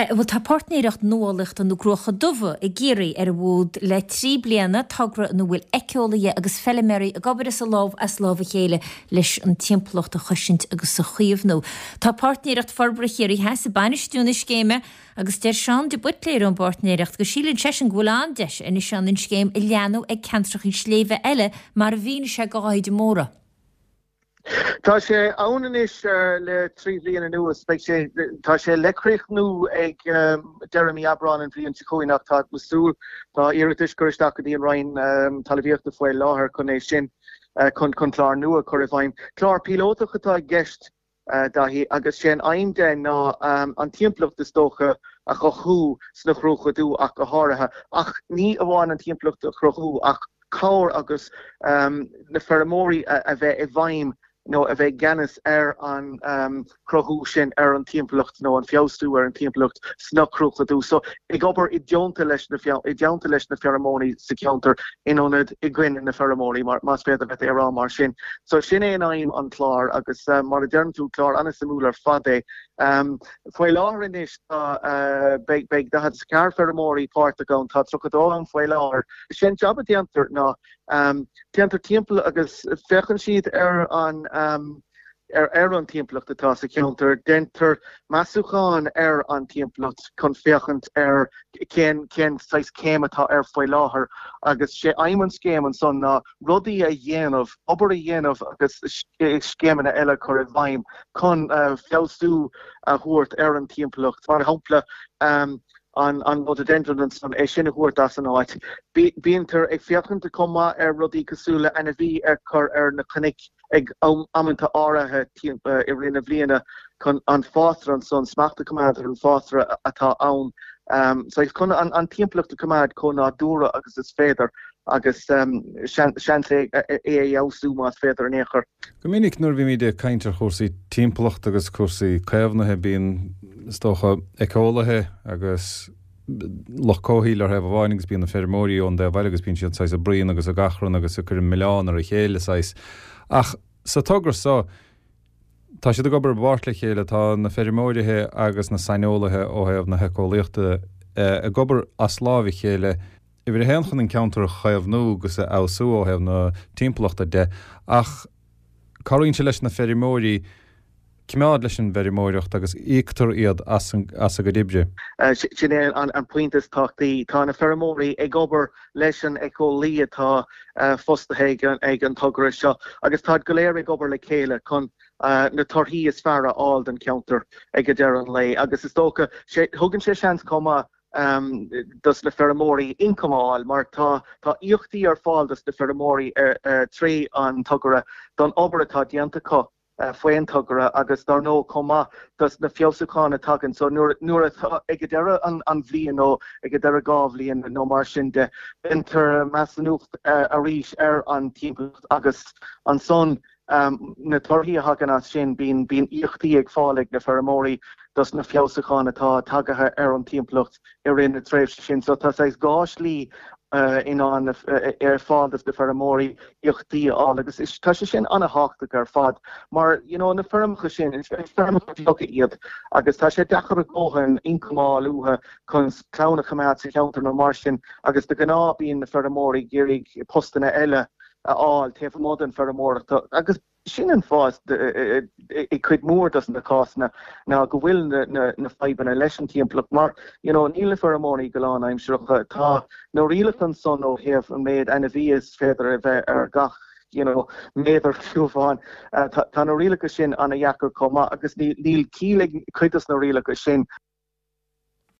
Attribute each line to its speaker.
Speaker 1: Bhuel, tá Páirtnéireacht Nuálaíochta na gCruacha Dubha i gCiarraí ar an bhfód le 3 bliana, togra ina bhfuil éiceolaithe agus feiliméaraí ag obair as a lámh as lámh a chéile leis an timpeallacht a chosaint agus a chaomhnú. Tá Páirtnéireacht Forbartha Chiarraí Theas ag bainistiú na scéime agus deir Seán de Buitléir ón bPáirtnéireacht go síleann seisean go bhfuil an-deis anois ann an scéim a leathnú ag ceantrachaí sléibhe eile mar a mhínigh sé do Dháithí de Mórdha.
Speaker 2: Tá sé ann anois le 3 bhliain anuas. Beidh sé, tá sé le críochnú ag deireadh mí Aibreán an bhliain seo chugainn ach tá mé ag súil, tá iarratais curtha isteach go dtí an Roinn Talmhaíochta faoi láthair chun é sin, chun chun clár nua a chur i bhfeidhm. Clár píolótach atá i gceist. Daithí, agus sé an aidhm de ná an timpeallacht is dócha a chothú sna Cruacha Dubha ach go háirithe. Ach ní amháin an timpeallacht a chruthú ach cabhair agus na feirmeoirí a bheith i bhfeidhm nó a bheith i gceannas ar an chruthú sin ar an timpeallacht nó an feabhsú ar an timpeallacht sna Cruacha Dubha. So ag obair i dteannta leis na i dteannta leis na feirmeoirí sa cheantar in ionad i gcoinne na feirmeoirí, más féidir leat é a rá mar sin. So sin é an aidhm an clár agus mar a deireann tú, clár an-suimiúil ar fad é. Faoi láthair anois tá, beidh, beidh 44 feirmeoirí páirteach ann, tá 32 ann faoi láthair. Sé an jab a déantar ná téantar timpeall agus féachann siad ar an, ar an timpeallacht atá sa cheantar. Déantar measúchán ar an timpeallacht chun féachaint ar cén cén saghas céim atá air faoi láthair agus sé aidhm an scéim ansan ná rudaí a dhéanamh, obair a dhéanamh agus scéimeanna eile a chur i bhfeidhm chun feabhsú a thabhairt ar an timpeallacht. Mar shampla, an rhododendron ansan, é sin a thabhairt as an áit. Bíontar ag féachaint chomh maith ar rudaí cosúil le ainmhí a chur ar na cnoic ag amanta áirithe i rith na bliana chun an fásra ansan, smacht a choimeád ar an bhfásra atá ann. Saghas chun an timpeallacht a choimeád chomh nádúrtha agus is féidir agus seans é a fheabhsú más féidir in aon chor.
Speaker 3: Go minic nuair a bhímid ag caint ar chúrsaí timpeallachta agus cúrsaí caomhnaithe bíonn, is dócha, éiceolaithe agus lucht comhshaoil ar thaobh amháin agus bíonn na feirmeoirí ón dtaobh eile agus bíonn siad saghas ag bruíon agus ag achrann agus ag cur an milleán ar a chéile saghas. Ach sa togra so, tá siad ag obair i bpáirt le chéile, tá na feirmeoirithe agus na saineolaithe ó thaobh na héiceolaíochta ag obair as láimh a chéile, uimhir a haon chun an ceantar a chaomhnú agus a fheabhsú ó thaobh na timpeallachta de ach cabhraíonn sé leis na feirmeoirí coimeád leis an bhfeirmeoireacht agus íoctar iad as a gcuid oibre.
Speaker 2: Sin é an pointe is tábhachtaí. Tá na feirmeoirí ag obair leis an éiceolaí atá fostaithe ag an togra seo agus táid go léir ag obair le chéile chun na torthaí is fearr a fháil don cheantar ag deireadh an lae agus is dócha, thugann sé seans chomh maith dos na feirmeoirí ioncam a fháil mar tá tá íocaíochtaí ar fáil dos na feirmeoirí tré an togra don obair atá déanta acu faoin togra agus dar ndóigh chomh maith dos na feabhsúcháin a tagann so nuair nuair atá ag deireadh an an bhliain nó ag deireadh 2 bhliain nó mar sin de déantar measúnacht arís ar an timpeallacht agus ansan Na torthaí a thagann as sin, bíonn bíonn íocaíochtaí ag fáil ag na feirmeoirí dos na feabhsúcháin atá tagaithe ar an timpeallacht i rith na tréimhse sin. So tá saghas dhá shlí in ann ar fáil dos na feirmeoirí íocaíochtaí a fháil agus tá sé sin an-thábhachtach ar fad mar you know na feirmeacha sin, is feirmeacha beaga iad agus tá sé deacair a dhóthain ioncam a fháil uathu chun clann a choimeád sa cheantar nó mar sin agus de ghnáth bíonn na feirmeoirí ag iarraidh postanna eile a fháil taobh amuigh den feirmeoireacht agus sin an fáth i cuid mhór dos na cásanna ná go bhfuil na fadhbanna leis an timpeallacht mar you know níl na feirmeoirí go lánaimsearach tá na rialacha ansan ó thaobh an méid ainmhí is féidir a bheith ar gach you know méadar ciúbháin tá na rialacha sin ana-dheacair chomh maith agus níl ciall ag cuid dos na rialacha sin.